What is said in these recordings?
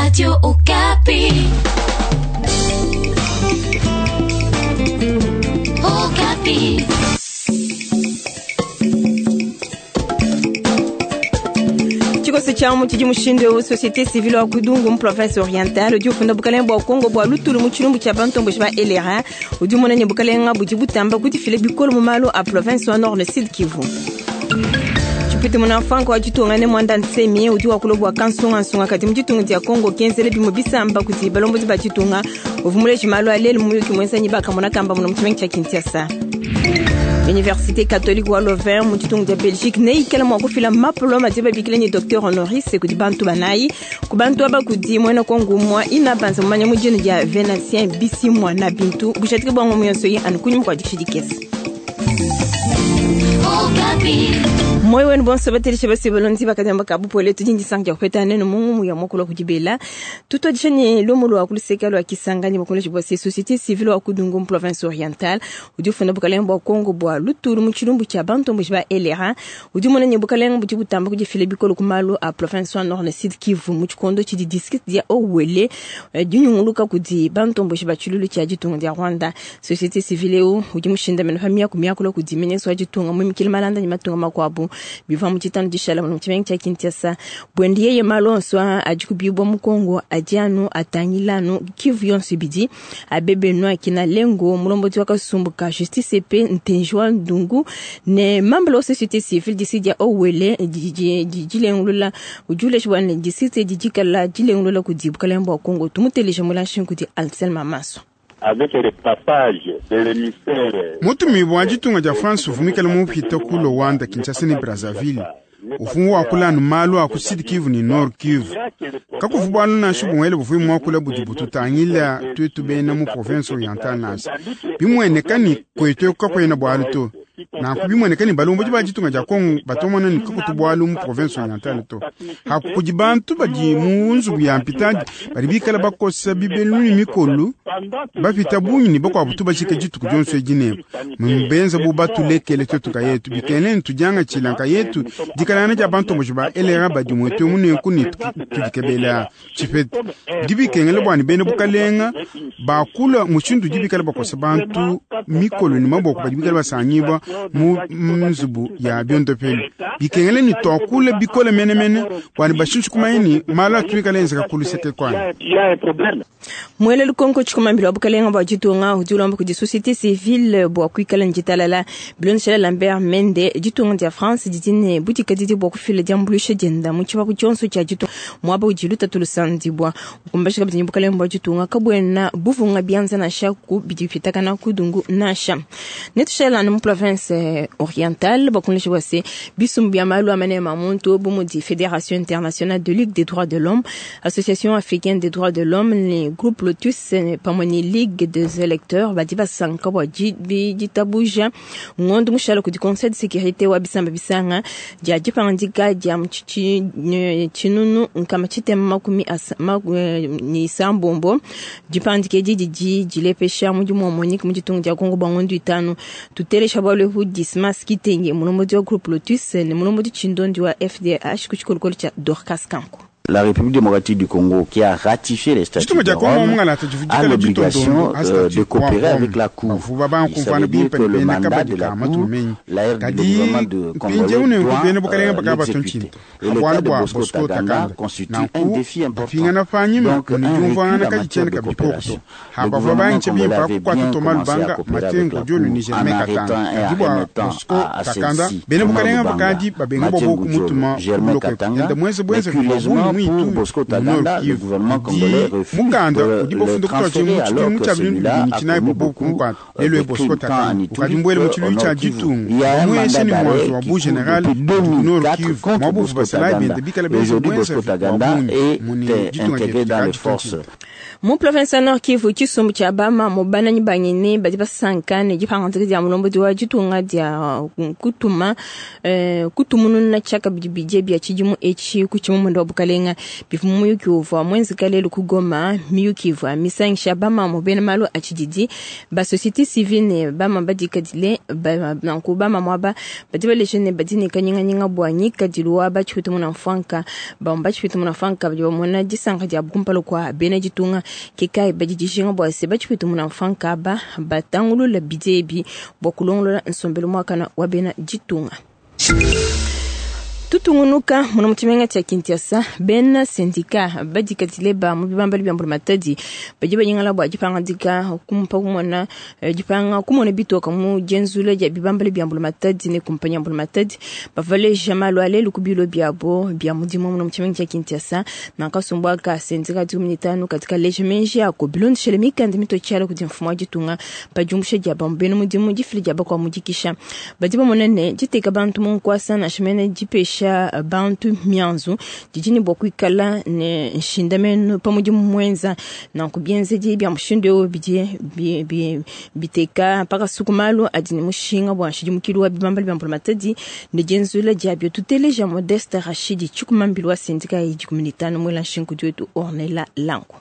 Radio Okapi. Okapi. Tshikoso tshia mu tshidi mushindu eu société civile wa Kudungu mu province orientale udi ufunda bukalenge bua Kongo bua lutulu mu tshilumbu tshia bantomboji ba LRA udi umona ne bukalenga budi butamba kudifila bikole mu malu a province wa Nord ne Sud Kivu. Tshipite munafanka wa ditunga ne Mwanda Nsemi udi wakula bua kansungansunga kadi mu ditunga dia Kongo kenzele bimue bisamba kudi balombodi ba ditunga uvua muleji malu a lelu mu muyuki muenza bakamona kamba muna mu tshimenga tshia Kinshasa. Université catholique wa Louvain mu ditunga dia Belgique neikala mua kufila mapoloma adi babikila ne docteur honoris kudi bantu banayi ku bantu aba kudi muena Kongo umua ina banza mumanya mu dina dia Venantien Bisimwa na bintu bujadiki bua ngomu yonso yi anu kunyima kua dikisha dikese. Okapi. Moyo wenu bonso batelisha basi balonzi bakadamba kabupole tudi ndisanka dia kupeta nenu mungu ya mokolo kudibela tutwadisha ne lumu lwa kuluseka lwa kisangani bakoleshi bwa société civile wa kudungu mu province orientale udi ufunda bukalenge bua Kongo bua lutulu mu tshilumbu tshia bantomboji ba LRA udi umona ne bukalenge budi butamba kudifila bikole ku malu a province wa nord ne sud Kivu mu tshikondo tshidi district dia Owele dinyunguluka kudi bantomboji ba tshilulu tshia ditunga dia Rwanda. Société civile eu udi mushindamene pa miaku miakula kudi ministre wa ditunga muimikile malanda ne matunga makuabu bivua mu tshitanu dishala mu tshimenga tshia Kinshasa bwende yeye malu onso adi kubibwa mu Kongo adi anu atangila anu Kivu yonso ibidi abebe akina lengo mulombodi wa kasumbu ka justice pe ntenji wa ndungu ne membre wa société civile disi dia Owele dilengulula udi ulejibua ne district didikala dilengulula kudi bukalenge bua Kongo tumuteleje mulanshi kudi Anselme Maso. Avec le passage de l'émissaire Mutumibwa wa ditunga dia France uvumikala mupita ku Luanda, Kinshasa ne Brazzaville ufungu wakula anu malu a ku Sud Kivu ne Nord Kivu kakuvu bualu nansha bumuele buvuyi muakula budi bututangila tuetu bena mu province orientale nansha bimueneka ni kwetu eku kakuena bualu to nanku bimueneka ni balombodi ba ditunga dia Kongo batomona ni kakutu bualu mu province orientale to haku kudi bantu badi mu nzubu ya mpitadi badi bikala bakosa bibelu ne mikolu bapita bungi ne bakuabu tubashike dituku dionso edi nebu mubenza bu batulekele tuetu nkayetu bikene ntudiangatshila nkayetu dikalangana dia bantomboji ba LRA badi muetu munenku ne tudikebela tshipete bidi bikengela bua ne bena bukalenga bakula mushindu udi bikala bakosa bantu mikolo ne maboko badi bikala basangibua mu nzubu ya biondopelu bikengela ne tuakula bikole menemene bua ne bashinshi kumanya ne malu atuikala enzeka kuluseke kuanyi. Il y a un problème. Mwele lukonko tshikumambila wa bukalenga bua ditunga udi ulomba kudi société civile bua kuikala ne ditalala bilondeshela Lambert Mende ditunga dia France didi ne budikadidi bua kufila diambuluisha dienda mu tshipapu tshionso tshia ditunga muaba udi lutatu lusandibua ukumbashi kabidi ne bukalenga bua ditunga kabuena buvunga bianza nansha ku bidi bipitakana kudungu nansha netushala anu mu province orientale bakunleshi bua se bisumbu bia malu a manema a muntu bu mudi Fédération internationale de ligue des droits de l'homme, Association africaine des droits de l'homme ne groupe Lotus pamue ne ligue des électeurs badi basanka bua ditabuja ngondo mushala kudi conseil de sécurité wa bisamba bisanga dia dipangandika dia mu tshinunu nkama tshitema makumi ne isambombo dipangandika edi didi dilepesha mudimu wa Monique mu ditunga dia Kongo bua ngondo itanu tutelesha bualu ebu Dismas Kitenge mulombodi wa groupe Lotus ne mulombodi tshindondi wa FDH ku tshikolokolo tshia Dorcas Kanko. La République démocratique du Congo, qui a ratifié les statuts Ditunga de dia Kongo Rome, mungalata a divudikala l'obligation ditondo a de statut wa coopérer Rome avec la Cour. bavuba Ça veut bankumvana dire bimpe que ne le bena mandat kabadi de la ka Cour, matumenyi la, le kadi gouvernement de mpindieu congolais nenku doit bena bukalenga bakaba l'exécuter. batontshinta Et le cas bualu de bua Bosco Bosco Taganda Takanda constitue un nanku défi important. bapingana panyima Donc, un mune recul diumvuangana en kadi matière tshiena de kabidi koko to coopération. Le habavua gouvernement banche congolais bimpe avait kukuata bien Thomas commencé à Lubanga coopérer avec Matengo la Diolu Cour ni en Germain arrêtant Katanga et kadi en bua remettant Bosco à Takanda celle-ci bena Thomas bukalenga Lubanga, bakadi babenga Mathieu bua kumutuma Ngudjolo, Germain kuloko Katanga, yenda mwenze mais bwenze bua bungi curieusement mwitu pour Bosco mu Nord Taganda, le Kivu gouvernement congolais di refuse mukanda de udi le bafunda kutoa transférer mu alors tshidimu que tshia bintu celui-là bibidi a tshinayi commis bobo beaucoup kumukwata de lelo Bosco crimes tant en Takanda Ituri ukadi mbwele mu qu'au tshiluilu tshia Nord Kivu. ditunga Il y a un mueshe mandat ni mwanzo d'arrêt wa qui bu court general depuis du Nord 2004 Kivu contre mwabuvu Bosco basalayi Taganda. bende bikala Et benze aujourd'hui, bwenze Bosco bua Taganda bungi est mune ditunga intégré dietu dans les dikadi forces. tutontshinta. Mu province ya Nord Kivu, tshisumbu tshia bamamu bananyi banyene badi basanka ne dipangadika dia mulombodi wa ditunga dia kutuma kutumununa tshiakabidi bidie bia tshidimu etshi ku tshimumunda wa bukalenga. Bivua mu muyuki uvua muenzeka lelu ku Goma, miyuki ivua misangisha bamamu bena malu a tshididi, ba société civile ne bamamu badikadile. Nanku bamamu aba badi baleja ne badi ne kanyinganyinga bua ngikadilu wa batshipeta muna mfwanka. Bamwe batshipeta muna mfwanka badi bamona disanka dia kumpala kua bena ditunga. Ke kai badi dijinga bua se batshipeta muna mfwanka aba batangulula bidie ebi bua kulongolola nsombelu muakana wa bena ditunga. Tutungunuka muna mu tshimenga tshia Kinshasa, bena syndicat badikadile ba mu bibambalu bia mbulamatadi badi banyingala bua dipangadika kumpa kumona dipanga kumona bitoka mu dienzula dia bibambalu bia mbulamatadi ne kumpanya ya mbulamatadi. Bavaleja malu a lelu ku bilo biabo bia mudimu muna mu tshimenga tshia Kinshasa. Nankasumbu aka syndicat 15 katika leja menji ako bilondeshele mikanda mitotshiala kudi mfumu wa ditunga pa diumbusha dia bambu bena mudimu difila dia bakua mudikisha. Badi bamona ne diteka bantu mu nkuasa nansha mene dipesha bantu mianzu didi ne bua kuikala ne nshindamenu pa mudimu muenza. Nanku bienzedi bia mushindu eu bidi biteka pakasuku malu adi ne mushinga bua nshidimukilu wa bibambalu bia mbulamatadi ne dienzula diabio. Tuteleja Modeste Rachidi Tshikumambilu wa sindika ya 15 mwela nshinkudu wetu Ornella Langu.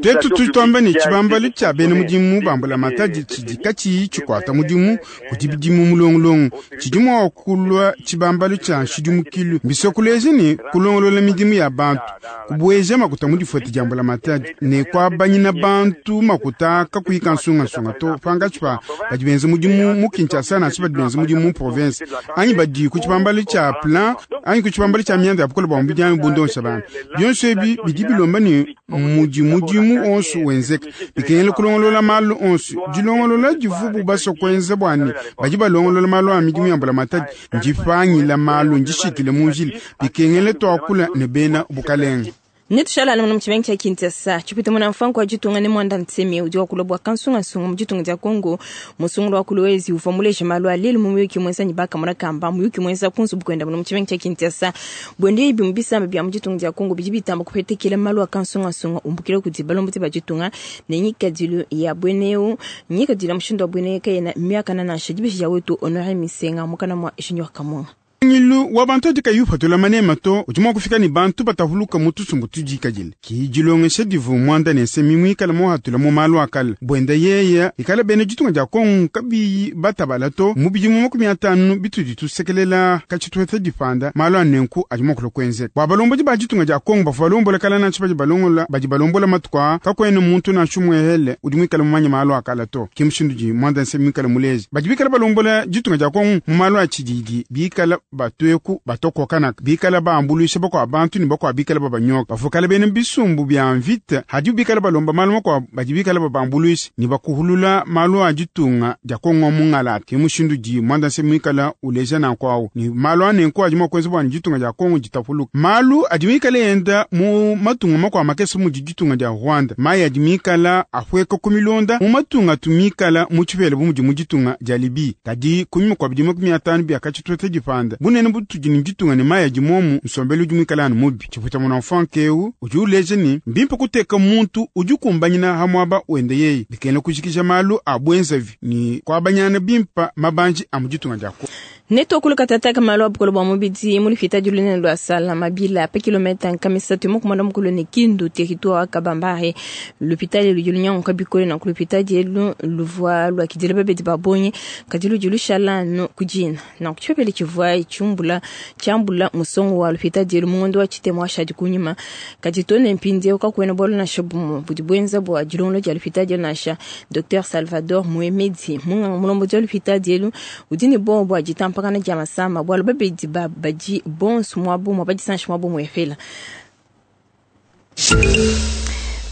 Tetu tudi tuamba ne tshibambalu tshia bena mudimu ba mbulamatadi tshidi katshiyi tshikuata mudimu kudi bidimu mulongolongo tshidi mua kulua tshibambalu tshia nshidimukilu. Mbisokuleje ne kulongolola midimu ya bantu, kubueja makuta mu difuete dia mbulamatadi ne kuabanyina bantu makuta kakuyi kansungasunga to pankatshi pa badi benza mudimu mu Kinshasa nansha badi benza mudimu mu province anyi badi ku tshibambalu tshia plan anyi ku tshibambalu tshia mianda ya bukole bua mubidi anyi bundonsa bantu. Bionso ebi bidi bilomba ne mudi mudimu onso wenzeka bikengela kulongolola malu onso. Dilongolola divubu basua kuenza bua ne badi balongolola malu a midimu ya mbulamatadi ndipangila malu ndishikile mu njila. Bikengela tuakula ne bena bukalenga. Netushala anu mu tshimenga tshia Kinshasa. Tshipita muna mfanku wa ditunga ne Mwanda Nsemi udi wakula bua kansungasunga mu ditunga dia Congo. Musungulu wa Kolwezi uvua muleje malu a lelu mu muyuki muenza ne bakamona kamba muyuki muenza ku nzubu kuenda mu tshimenga tshia Kinshasa. Buende ibi mu bisamba bia mu ditunga dia Congo bidi bitamba kupetekela malu a kansungasunga umbukila kudi balombodi ba ditunga ne ngikadilu ya bweneu ngikadilu ya mushindu wa bweneu kayena miakana nansha dibeji dia wetu Honore Misenga mukana mwa Junior Kamunga. Ngilu wa bantu adi kayi upatula manema to udi mua kufika ne bantu batahuluka mu tusumbu tudikadile. Ki dilongesha divu Mwanda ne Nsemi muikale muhatula mu malu akala buenda yeya ikala bena ditunga dia Kongo kabiyi batabala to mu bidimu 50 bitudi tusekelela katshitueta dipanda malu a nenku adi mua kulua kuenzeka. Bua balombodi ba ditunga dia Kongo bavua balombola kala nansha badi balongola badi balombola matuku aa kakuena muntu nansha umuehele udi muikale mumanye malu akala to. Ki mushindu di Mwanda Nsemi muikale muleje badi bikala balombola ditunga dia Kongo mu malu a tshididi bikala batueku batokokanaka bikala baambulisha bakua bantu ne bakua bikala babanyoka bavukala bena bisumbu bia mvita hadi bikala balomba malu makuabu badi bikala babambuluisha ne bakuhulula malu a ditunga dia Kongo mungalata. Ke mushindu di Mwanda Nsemi muikala uleja nanku awu ne malu a nenku adi mua kuenza bua ne ditunga dia Kongo ditapuluka. Malu adi mikale enda mu matunga makuabu makese mudi ditunga dia Rwanda mayi adi mikala apueka ku milonda mu matunga tumikala mu tshipela bu mudi mu ditunga dia Libye. Kadi kunyima kua bidimu 50 bia katshitueta dipanda bunene butudi ne ditunga ne mayi adi momu nsombelu udi muikale anu mubi. Tshipuita muna mfanke eu udi uleja ne mbimpe kuteka muntu udi kumbanyina ha muaba wende yeye bikengela kujikija malu a buenzavi ne kuabanyana bimpa mabanji a mu ditunga dia Kongo. Netokulu katataka malu a bukolo bua mubidi mu lupita lunene lua Sala Mabila pa kilomita nkamisatu mu kumona mukulu ne Kindu territoire wa Kabambare. Lupita ludi lunyanguka bikole nanku lupita dielu luvua luakidila babedi ba bonyi kadi ludi lushala anu ku dina. Nanku tshipepele tshivua tshiumbula tshiambula musongo wa lupita dielu mu ngondo wa tshitema washadi kunyima. Kadi to ne mpindieu kakuena bualu nansha bumue budi buenza bua dilongolo dia lupita dielu nansha. Dr Salvador Muemedi munganga mulombodi wa lupita dielu udi ne bowa bua ditampa kana dia masama bualu babedi ba badi bonso muabu mua badisanshi muabu muefela.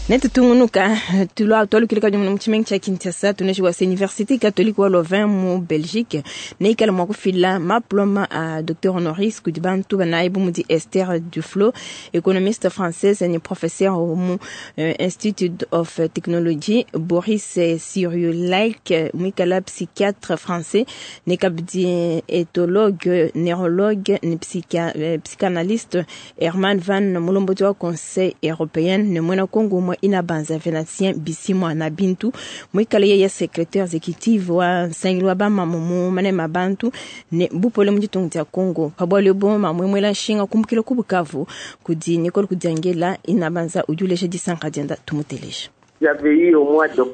Netutungunuka tulua tualukile kadi mu tshimenga tshia Kinshasa tuneshi wa Université catholique wa Louvain mu Belgique neikale mua kufila maploma a docteur honoris kudi bantu banayi bu mudi Esther Duflo économiste française ne professeur mu Institute of Technology, Boris Cyrulnik muikala psychiatre français ne kabidi éthologue neurologue ne psychanalyste Herman Van mulombodi wa conseil européen ne muena Kongo mwa Inabanza Venantien Bisimwa na Bintu muikale yeye secrétaire exécutive wa nsangilu wa bamamu mu manema a bantu ne bupole mu ditunga dia Congo. Pa bualu ebu mamu eu muela nshinga kumbukila ku Bukavu kudi Nicole Kudiangela. Inabanza udi uleja disanka dienda, tumuteleja.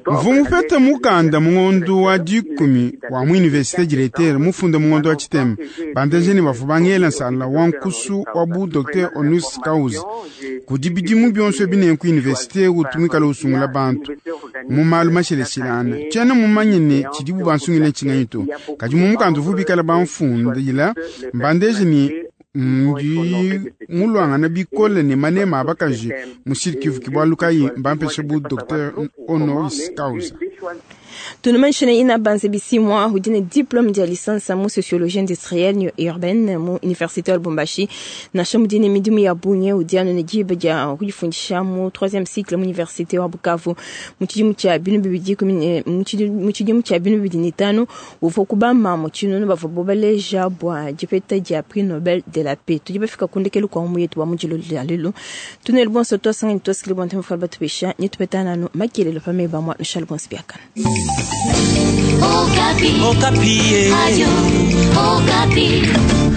Mvua mupete mukanda mu ngondu wa dikumi wa mu universite directeur mufunde mu ngondu wa tshitema bandeje ne bavua bangela nsala wa nkusu wa bu docteur honoris causa. Kudi bidimu bionso ebi nenku universite utu muikale usungula bantu mu malu masheleshilana. Tshiena mumanye ne tshidibu bansungile ntshinganyi to, kadi mu mukanda uvua bikale bamfundila mbandeje ne ndi mulwangana bikole ne manema a bakaji mu Sud-Kivu, ke bualu kayi mbampeshe bu docteur honoris causa. Tunumanyishe ne Inabanza Bisimwa udi ne diplome dia licence mu sociologie industrielle ne urbaine mu université wa Lubumbashi. Nansha mudi ne midimu ya bungi, udi anu ne diba dia kudifundisha mu 3e cycle mu université wa Bukavu. Mu tshidimu tshia binu bibidi kumi ne, mu tshidimu tshia binu bibidi ne tanu uvua ku bamamu tshinunu bavua bobaleja bua dipeta dia prix Nobel de la paix. Tudi bafika ku ndekelu kua mu yetu wa mu dilolo dia lelu. Tunelu bonso twasangani twasikile bua ntema batupesha nyetupetana anu makelelo pa meba mua nushale bonso biakana. Okapi. Okapi. Radio Okapi.